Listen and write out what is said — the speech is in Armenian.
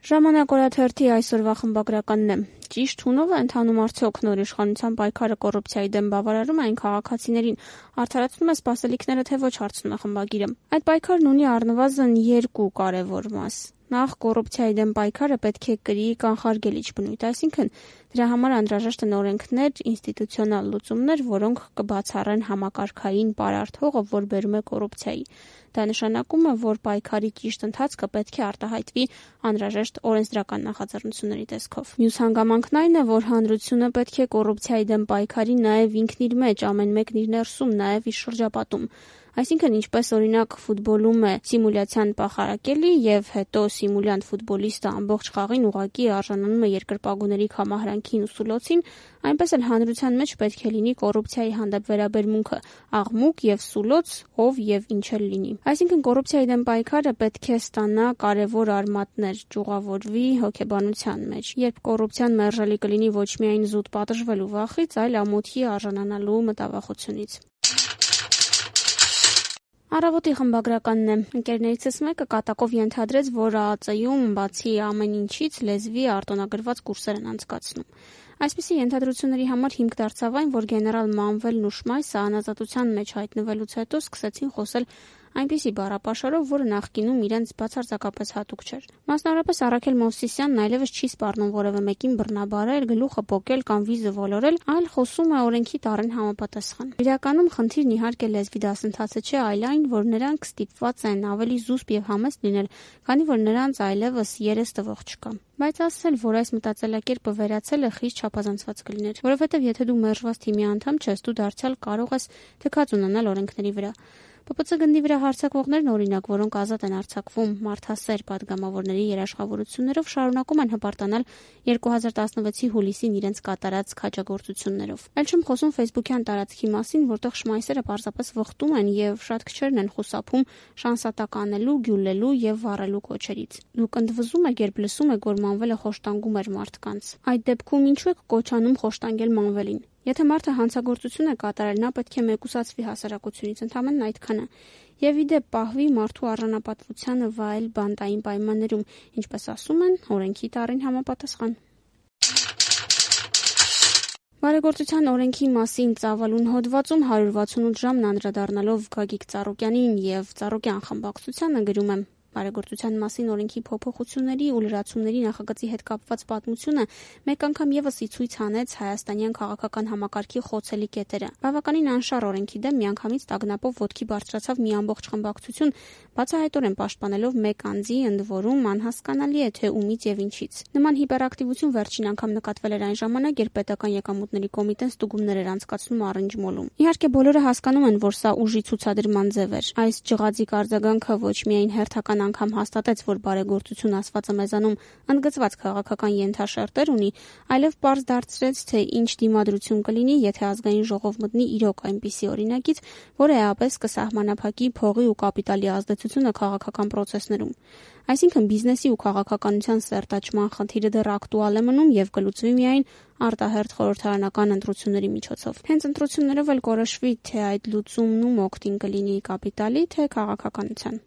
Ժամանակ օրաթերթի այսօրվա խմբագրականն է։ Ճիշտ հունով է ընթանում արդյոք նոր իշխանության պայքարը կոռուպցիայի դեմ բավարարում այն քաղաքացիներին, արդարացնում է սպասելիքները, թե ոչ, հարցնում է խմբագիրը։ Այդ պայքարն ունի առնվազն երկու կարևոր մաս։ Նախ, կոռուպցիայի դեմ պայքարը պետք է կրի կանխարգելիչ բնույթ, այսինքն դրա համար անհրաժեշտ են օրենքներ, ինստիտուցիոնալ լուծումներ, որոնք կբացառեն համակարգային պարարտ հողը, որ բերում է կոռուպցիայի։ Դա նշանակում է, որ պայքարի ճիշտ ընթացքը պետք է արտահայտվի անհրաժեշտ օրենսդրական նախաձեռնությունների տեսքով։ Մյուս հանգամանքն այն է, որ հանրությունը պետք է կոռուպցիայի դեմ պայքարի նաև ինքն իր մեջ, ամեն մեկն իր ներսում, նաև իր շրջապատում։ Այսինքն, ինչպես օրինակ ֆուտբոլում է սիմուլյացիան պախարակելի եւ հետո սիմուլյանտ ֆուտբոլիստը ամբողջ խաղին ուղղակի արժանանում է երկրպագուների համահրանքին ու սուլոցին, այնպես էլ հանրության մեջ պետք է լինի կոռուպցիայի հանդեպ վերաբերմունքը, աղմուկ եւ սուլոց, ով եւ ինչ էլ լինի։ Այսինքն, կոռուպցիայի դեմ պայքարը պետք է ստանա կարևոր արմատներ, ճյուղավորվի հոգեբանության մեջ, երբ կոռուպցիան մերժելի կլինի ոչ միայն զուտ պատժվելու վախից, այլ ամոթի արժանանալու մտավախությունից։ Առավոտի խմբագրականն է։ Ընկերներիցս մեկը կատակով ենթադրեց, որ ԱԱԾ-ում բացի ամեն ինչից լեզվի արտոնագրված կուրսեր են անցկացնում։ Այսպիսի ենթադրությունների համար հիմք դարձավ այն, որ գեներալ Մանվելն ու Շմայսը անազատության մեջ հայտնվելուց հետո սկսեցին խոսել այնպիսի բառապաշարով, որը նախկինում իրենց բացարձակապես հատուկ չէր։ Մասնավորապես Առաքել Մովսիսյանն այլևս չի սպառնում որևէ մեկին բռնաբարել, գլուխը պոկել կամ վիզը ոլորել, այլ խոսում է օրենքի տառին համապատասխան։ Իրականում խնդիրն իհարկե լեզվի դասընթացը չէ, այլ այն, որ նրանք ստիպված են ավելի զուսպ եւ համեստ լինել, քանի որ նրանց այլևս երես տվող չկա։ Բայց ասել, որ այս մտածելակերպը վերացել է, խիստ չափազանցված կլիներ, որովհետև եթե դու մերժված թիմի անդամ չես, դու դարձյալ կարող ես թքած ունենալ օրենքների վրա։ ՊՊՑ գնդի վրա հարձակվողներն, օրինակ, որոնք ազատ են արձակվում մարդասեր падգամավորների երաշխավորություններով, շարունակում են հպարտանալ 2016-ի հուլիսին իրենց կատարած քաջագործություններով։ Այլ չեմ խոսում Facebook-յան տարածքի մասին, որտեղ շմայսերը պարզապես վխտում են եւ շատ քչերն են խուսափում շանսատականելու, գյուլելու եւ վառելու կոչերից։ Դուք ընդվզում եք, երբ լսում եք, որ Մանվելը խոշտանգում էր մարդկանց։ Այդ դեպքում ինչու եք կոչանում խոշտանգել Մանվելին։ Եթե մարդը հանցագործություն է կատարել, նա պետք է մեկուսացվի հասարակությունից, ընդամենն այդքանը, եւ իդեպ պահվի մարդու արժանապատվությանը վայել բանտային պայմաններում, ինչպես ասում են, օրենքի տառին համապատասխան։ Բարեգործության օրենքի մասին ծավալուն հոդվածում 168 ժամն անդրադառնալով Գագիկ Ծառուկյանին եւ Ծառուկյան խմբակցությանը գրում եմ. Բարեգործության մասին օրենքի փոփոխությունների ու լրացումների նախագծի հետ կապված պատմությունը մեկ անգամ եւս ի ցույց հանեց հայաստանյան քաղաքական համակարգի խոցելի կետերը։ Բավականին անշառ օրենքի դեմ միանգամից տագնապով ոտքի բարձրացավ մի ամբողջ խմբակցություն, բացահայտորեն պաշտպանելով մեկ անձի, ընդ որում անհասկանալի է թե ումից եւ ինչից։ Նման հիպերակտիվություն վերջին անգամ նկատվել էր այն ժամանակ, երբ պետական եկամուտների կոմիտեն ստուգումներ էր անցկացնում Առնջմոլում։ Իհարկե բոլորը հասկանում են, որ սա ուժի ցուցադրման ձև էր։ Այս ջղածիկ արձագանքը ոչ միայն հերթական անգամ հաստատեց, որ բարեգործություն ասվածը մեզանում ընդգծված քաղաքական ենթաշերտեր ունի, այլև պարզ դարձրեց, թե ինչ դիմադրություն կլինի, եթե ազգային ժողով մտնի իրոք այնպիսի օրինակից, որը էապես կսահմանափակի փողի ու կապիտալի ազդեցությունը քաղաքական պրոցեսներում։ Այսինքն բիզնեսի ու քաղաքականության սերտաճման խնդիրը դեռ ակտուալ է մնում եւ կլուծվի միայն արտահերթ խորհրդարանական ընտրությունների միջոցով։ Հենց ընտրություններով էլ կորոշվի, թե այդ լուծումն ում օգտին կլինի կապիտալի, թե քաղաքականության։